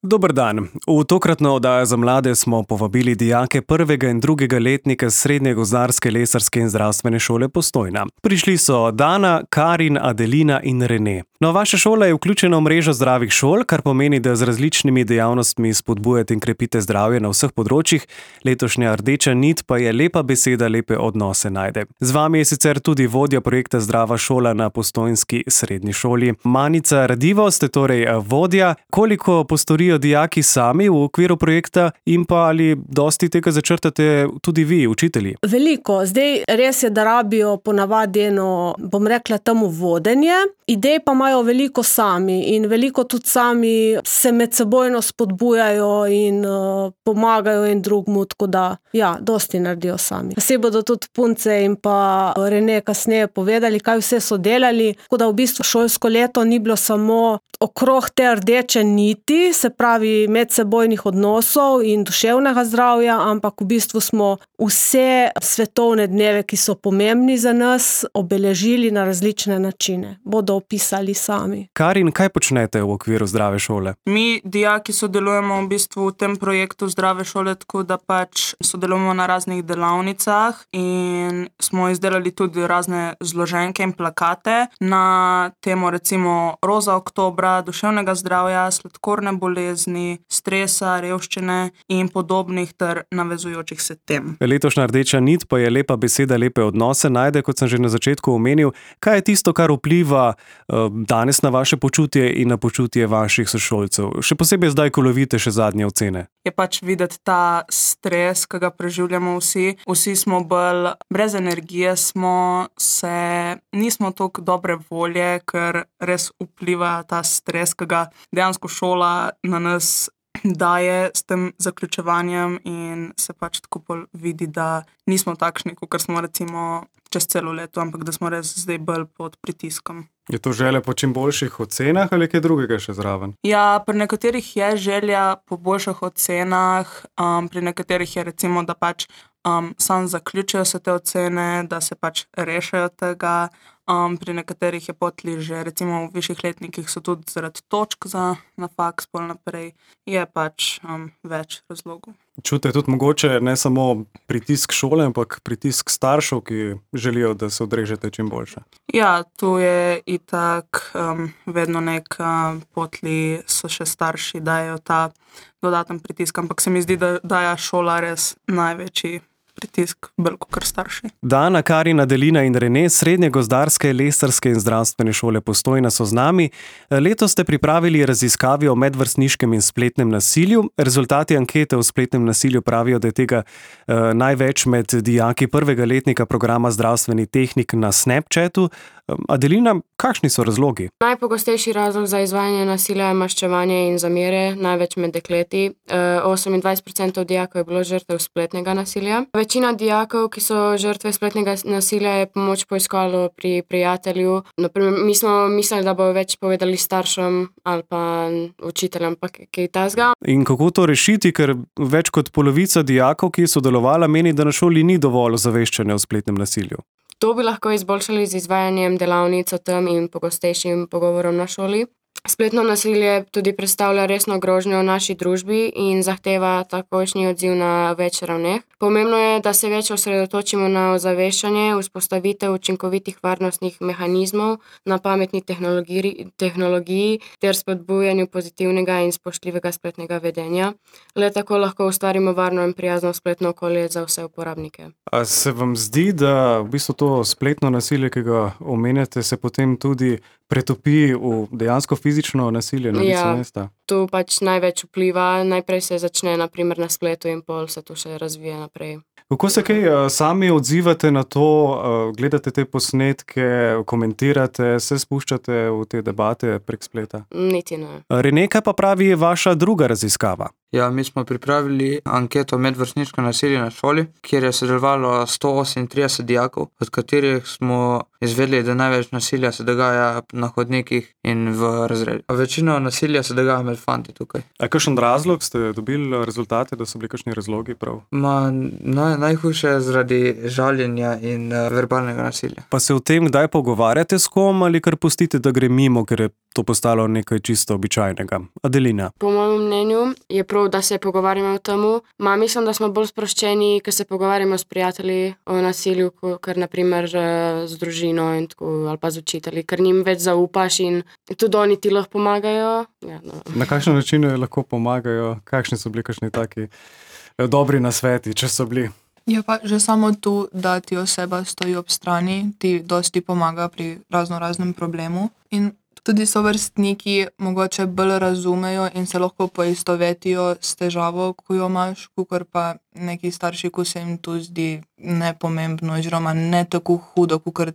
Dober dan. V tokratno oddajo za mlade smo povabili dijake prvega in drugega letnika Srednje gozdarske, lesarske in zdravstvene šole Postojna. Prišli so Dana, Karin, Adelina in Rene. No, vaša šola je vključena v mrežo zdravih šol, kar pomeni, da z različnimi dejavnostmi spodbujate in krepite zdravje na vseh področjih. Letošnja rdeča nit pa je lepa beseda, lepe odnose najde. Z vami je sicer tudi vodja projekta Zdrava šola na postojnski srednji šoli. Manica Radivo, ste torej vodja. Koliko postorijo dijaki sami v okviru projekta in pa ali dosti tega začrtate tudi vi, učitelji? Veliko. Zdaj res je, da rabijo ponavadi eno, bom rekla temu vodenje. Idej pa imajo veliko sami in veliko tudi sami se medsebojno spodbujajo in pomagajo en drugmu, tako da ja, dosti naredijo sami. Se bodo tudi punce in pa Rene kasneje povedali, kaj vse so delali, tako da v bistvu šolsko leto ni bilo samo okrog te rdeče niti, se pravi medsebojnih odnosov in duševnega zdravja, ampak v bistvu smo vse svetovne dneve, ki so pomembni za nas, obeležili na različne načine. Bodo opisali sami. Karin, kaj počnete v okviru Zdrave šole? Mi, dijaki, sodelujemo v bistvu v tem projektu Zdrave šole, tako da pač sodelujemo na raznih delavnicah in smo izdelali tudi razne zloženke in plakate na temo recimo roza oktobra, duševnega zdravja, sladkorne bolezni, stresa, revščine in podobnih ter navezujočih se tem. Letošnja rdeča nit pa je lepa beseda, lepe odnose najde, kot sem že na začetku omenil. Kaj je tisto, kar vpliva danes na vaše počutje in na počutje vaših sošolcev? Še posebej zdaj, ko lovite še zadnje ocene. Je pač videti ta stres, ki ga preživljamo vsi. Vsi smo bolj brez energije, nismo toliko dobre volje, ker res vpliva ta stres, ki ga dejansko šola na nas daje s tem zaključevanjem in se pač tako bolj vidi, da nismo takšni, kot smo recimo čez celo leto, ampak da smo res zdaj bolj pod pritiskom. Je to želja po čim boljših ocenah ali kaj drugega še zraven? Ja, pri nekaterih je želja po boljših ocenah, pri nekaterih je recimo, da pač samo zaključijo se te ocene, da se pač rešijo tega. Pri nekaterih je potli že recimo v višjih letnikih so tudi zaradi točk na faks pol naprej. Je pač več razlogov. Čute tudi mogoče ne samo pritisk šole, ampak pritisk staršev, ki želijo, da se odrežete čim boljše. Ja, tu je itak vedno potli so še starši, dajo ta dodaten pritisk, ampak se mi zdi, da daja šola res največji pritisk, bolj kot starši. Dana, Karin, Adelina in Rene, Srednje gozdarske, lesarske in zdravstvene šole Postojna so z nami. Letos ste pripravili raziskavi o medvrstniškem in spletnem nasilju. Rezultati ankete o spletnem nasilju pravijo, da je tega največ med dijaki prvega letnika programa Zdravstveni tehnik na Snapchatu. Adelina, kakšni so razlogi? Najpogostejši razlog za izvajanje nasilja je maščevanje in zamere, največ med dekleti. 28% dijakov je bilo žrtev spletnega nasilja. Večina dijakov, ki so žrtve spletnega nasilja, je pomoč poiskalo pri prijatelju. Naprimer, mi smo mislili, da bo več povedali staršem ali pa učiteljem, pa kaj tasga. In kako to rešiti, ker več kot polovica dijakov, ki je sodelovala, meni, da na šoli ni dovolj ozaveščanja o spletnem nasilju? To bi lahko izboljšali z izvajanjem delavnic o tem in pogostejšim pogovorom na šoli. Spletno nasilje tudi predstavlja resno grožnjo v naši družbi in zahteva takojšnji odziv na več ravneh. Pomembno je, da se več osredotočimo na ozaveščanje, vzpostavitev učinkovitih varnostnih mehanizmov, na pametni tehnologiji ter spodbujanju pozitivnega in spoštljivega spletnega vedenja. Le tako lahko ustvarimo varno in prijazno spletno okolje za vse uporabnike. A se vam zdi, da v bistvu to spletno nasilje, ki ga omenjate, se potem tudi pretopi v dejansko fizično nasilje na licu mesta? Tu pač največ vpliva. Najprej se začne na primer na spletu in pol se tu še razvije naprej. Kako se kaj sami odzivate na to, gledate te posnetke, komentirate, se spuščate v te debate prek spleta? Niti ne. Rene, kaj pa pravi vaša druga raziskava? Ja, mi smo pripravili anketo medvrstniško nasilje na šoli, kjer je sodelovalo 138 dijakov, od katerih smo izvedeli, da največ nasilja se dogaja na hodnikih in v razredu. Večino nasilja se dogaja med fanti tukaj. A kakšen razlog ste dobili rezultate, da so bili kakšni razlogi prav? Najhujše je zaradi žaljenja in verbalnega nasilja. Pa se o tem kdaj pogovarjate s kom ali kar pustite, da gre mimo, ker je to postalo nekaj čisto običajnega? Adelina. Po mojem mnenju je prav, da se pogovarjamo o tem. Mislim, da smo bolj sproščeni, ker se pogovarjamo s prijatelji o nasilju, kar naprimer z družino in tako, ali pa z učitelji, ker njim več zaupaš in tudi oni ti lahko pomagajo. Ja, no. Na kakšen način lahko pomagajo? Kakšni so bili kakšni taki dobri nasveti, če so bili? Je pa že samo tu, da ti oseba stoji ob strani, ti dosti pomaga pri raznoraznem problemu in tudi sovrstniki mogoče bolj razumejo in se lahko poistovetijo s težavo, ko jo imaš, kakor pa neki starši, ko se jim to zdi nepomembno oziroma ne tako hudo, kakor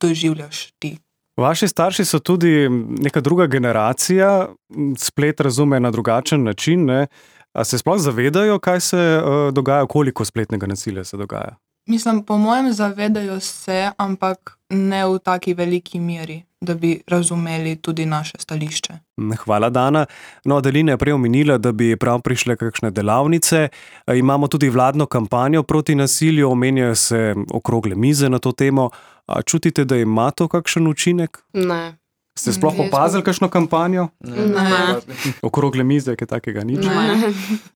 doživljaš ti. Vaši starši so tudi neka druga generacija, splet razume na drugačen način, ne? A se sploh zavedajo, kaj se dogaja, koliko spletnega nasilja se dogaja? Mislim, po mojem zavedajo se, ampak ne v taki veliki meri, da bi razumeli tudi naše stališče. Hvala, Dana. No, Adelina je prej omenila, da bi prav prišle kakšne delavnice. Imamo tudi vladno kampanjo proti nasilju, omenjajo se okrogle mize na to temo. A čutite, da ima to kakšen učinek? Ne. Ste sploh opazili kakšno kampanjo? Ne. Okrogle mize, kaj takega nič? Ne.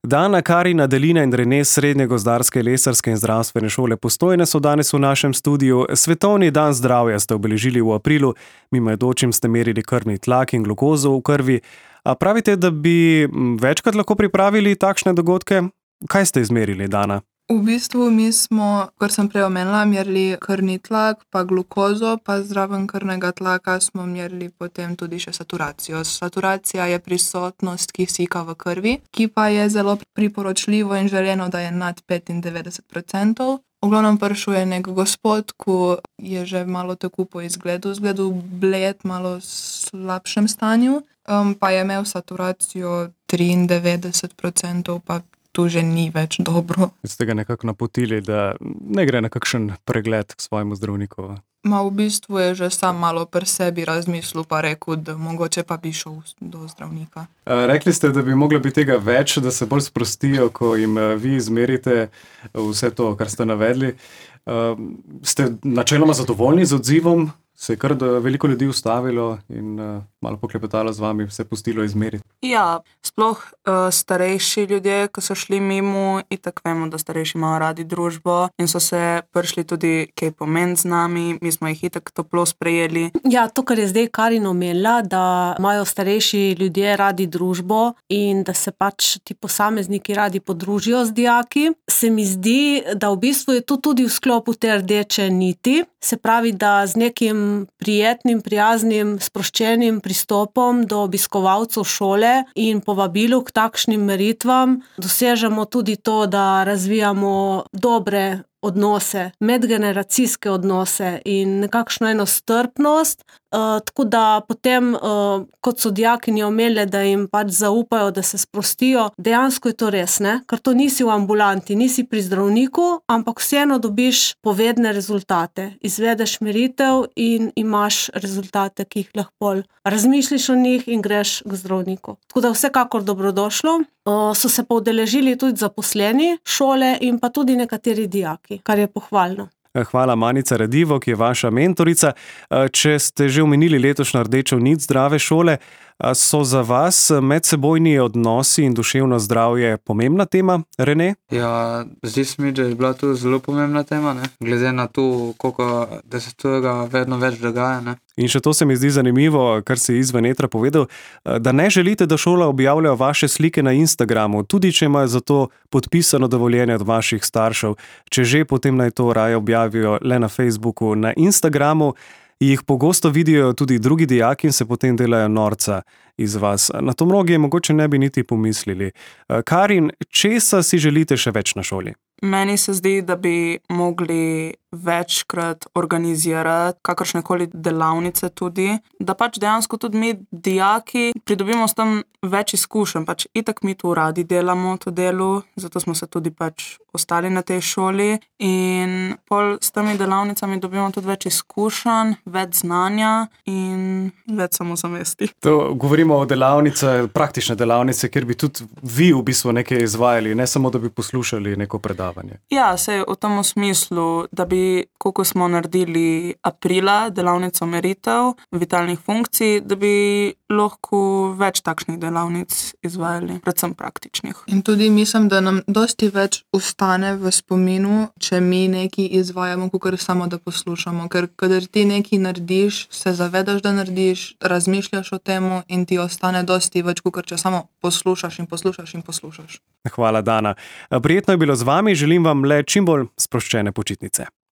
Dana, Karin, Adelina in Rene s Srednje gozdarske, lesarske in zdravstvene šole Postojna so danes v našem studiu. Svetovni dan zdravja ste obeležili v aprilu, mimoidočim ste merili krvni tlak in glukozo v krvi. A pravite, da bi večkrat lahko pripravili takšne dogodke? Kaj ste izmerili, Dana? V bistvu mi smo, kar sem prej omenila, merili krvni tlak, pa glukozo, pa zraven krvnega tlaka smo merili potem tudi še saturacijo. Saturacija je prisotnost kisika v krvi, ki pa je zelo priporočljivo in želeno, da je nad 95%. V glavnem prišel je nek gospod, ko je že malo tako po izgledu bled, malo slabšem stanju, pa je imel saturacijo 93%, pa to že ni več dobro. Ste ga nekako napotili, da ne gre na kakšen pregled k svojemu zdravniku? V bistvu je že sam malo pri sebi razmislil pa rekel, da mogoče pa bi šel do zdravnika. Rekli ste, da bi moglo biti tega več, da se bolj sprostijo, ko jim vi izmerite vse to, kar ste navedli. Ste načeloma zadovoljni z odzivom? Se je kar veliko ljudi ustavilo in malo poklepetalo z vami, se pustilo izmeriti? Ja, sploh starejši ljudje, ko so šli mimo, itak vemo, da starejši imajo radi družbo in so se prišli tudi kaj pomen z nami, mi smo jih itak toplo sprejeli. Ja, to, kar je zdaj Karin omenila, da imajo starejši ljudje radi družbo in da se pač ti posamezniki radi podružijo z dijaki, se mi zdi, da v bistvu je to tudi v sklopu te rdeče niti, se pravi, da z nekim prijetnim, prijaznim, sproščenim pristopom do obiskovalcev šole in povabilu k takšnim meritvam dosežemo tudi to, da razvijamo dobre odnose, medgeneracijske odnose in nekakšno eno strpnost, tako da potem, kot so dijakinje omenile, da jim pač zaupajo, da se sprostijo, dejansko je to res, ne? Ker to nisi v ambulanti, nisi pri zdravniku, ampak vseeno dobiš povedne rezultate. Izvedeš meritev in imaš rezultate, ki jih lahko razmišljiš o njih in greš k zdravniku. Tako da vsekakor dobrodošlo. So se pa udeležili tudi zaposleni šole in pa tudi nekateri dijaki, kar je pohvalno. Hvala, Manica Redivo, ki je vaša mentorica. Če ste že omenili letošnjo rdečo nit zdrave šole, so za vas medsebojni odnosi in duševno zdravje pomembna tema, Rene? Ja, zdi se mi, da je bila to zelo pomembna tema, ne? Glede na to, koliko da se tega vedno več dogaja. Ne? In še to se mi zdi zanimivo, kar si izven etra povedal, da ne želite, da šola objavlja vaše slike na Instagramu, tudi če imajo za to podpisano dovoljenje od vaših staršev. Če že, potem naj to raje objavijo le na Facebooku. Na Instagramu jih pogosto vidijo tudi drugi dijaki in se potem delajo norca iz vas. Na to mnogi mogoče ne bi niti pomislili. Karin, česa si želite še več na šoli? Meni se zdi, da bi mogli večkrat organizirati kakršnekoli delavnice tudi, da pač dejansko tudi mi, dijaki, pridobimo s tem več izkušenj. Pač itak mi tu radi delamo to delo, zato smo se tudi pač ostali na tej šoli in pol s temi delavnicami dobimo tudi več izkušenj, več znanja in več samozavesti. To govorimo o delavnice, praktične delavnice, kjer bi tudi vi v bistvu nekaj izvajali, ne samo, da bi poslušali neko predavanje. Ja, sej v tem smislu, da bi, koliko smo naredili aprila, delavnico meritev vitalnih funkcij, da bi lahko več takšnih delavnic izvajali, predvsem praktičnih. In tudi mislim, da nam dosti več ostane v spominu, če mi nekaj izvajamo, kakor samo da poslušamo. Ker kadar ti nekaj narediš, se zavedaš, da narediš, razmišljaš o temu in ti ostane dosti več, kakor če samo poslušaš in poslušaš in poslušaš. Hvala, Dana. Prijetno je bilo z vami, želim vam le čim bolj sproščene počitnice.